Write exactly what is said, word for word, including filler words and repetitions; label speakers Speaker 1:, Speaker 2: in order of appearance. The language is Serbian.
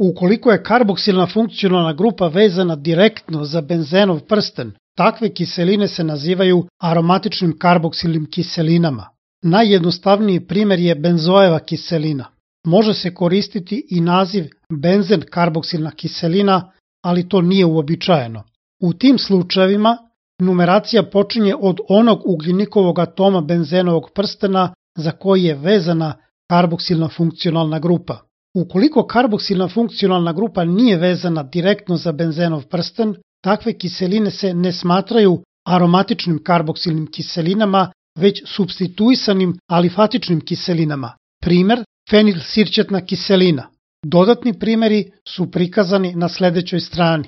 Speaker 1: Ukoliko je karboksilna funkcionalna grupa vezana direktno za benzenov prsten, takve kiseline se nazivaju aromatičnim karboksilnim kiselinama. Najjednostavniji primjer je benzoeva kiselina. Može se koristiti i naziv benzen karboksilna kiselina, ali to nije uobičajeno. U tim slučajevima numeracija počinje od onog ugljenikovog atoma benzenovog prstena za koji je vezana karboksilna funkcionalna grupa. Ukoliko karboksilna funkcionalna grupa nije vezana direktno za benzenov prsten, takve kiseline se ne smatraju aromatičnim karboksilnim kiselinama, već supstituisanim alifatičnim kiselinama. Primer, fenilsirćetna kiselina. Dodatni primjeri su prikazani na sledećoj strani.